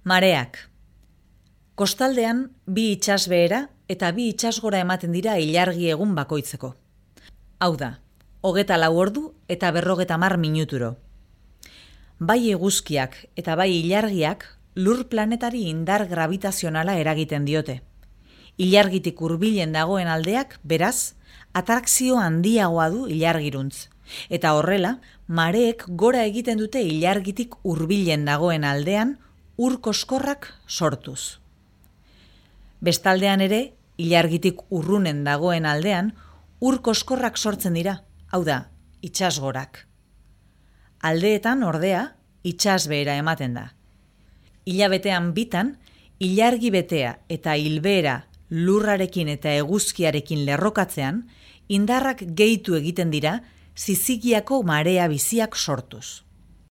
Mareak. Kostaldean bi itsasbehera eta bi itsasgora ematen dira ilargi egun bakoitzeko. Hau da, 24 ordu eta 50 minuturo. Bai eguzkiak eta bai ilargiak lur planetari indar gravitazionala eragiten diote. Ilargitik hurbilen dagoen aldeak, beraz, atrakzio handiagoa du ilargiruntz. Eta horrela, mareek gora egiten dute ilargitik hurbilen dagoen aldean ur koskorrak sortuz. Bestaldean ere, ilargitik urrunen dagoen aldean ur koskorrak sortzen dira, hau da, itsasgorak. Aldeetan, ordea, itsasbehera ematen da. Hilabetean bitan, ilargi betea eta hilbehera lurrarekin eta eguzkiarekin lerrokatzean, indarrak gehitu egiten dira zizigiako marea biziak sortuz.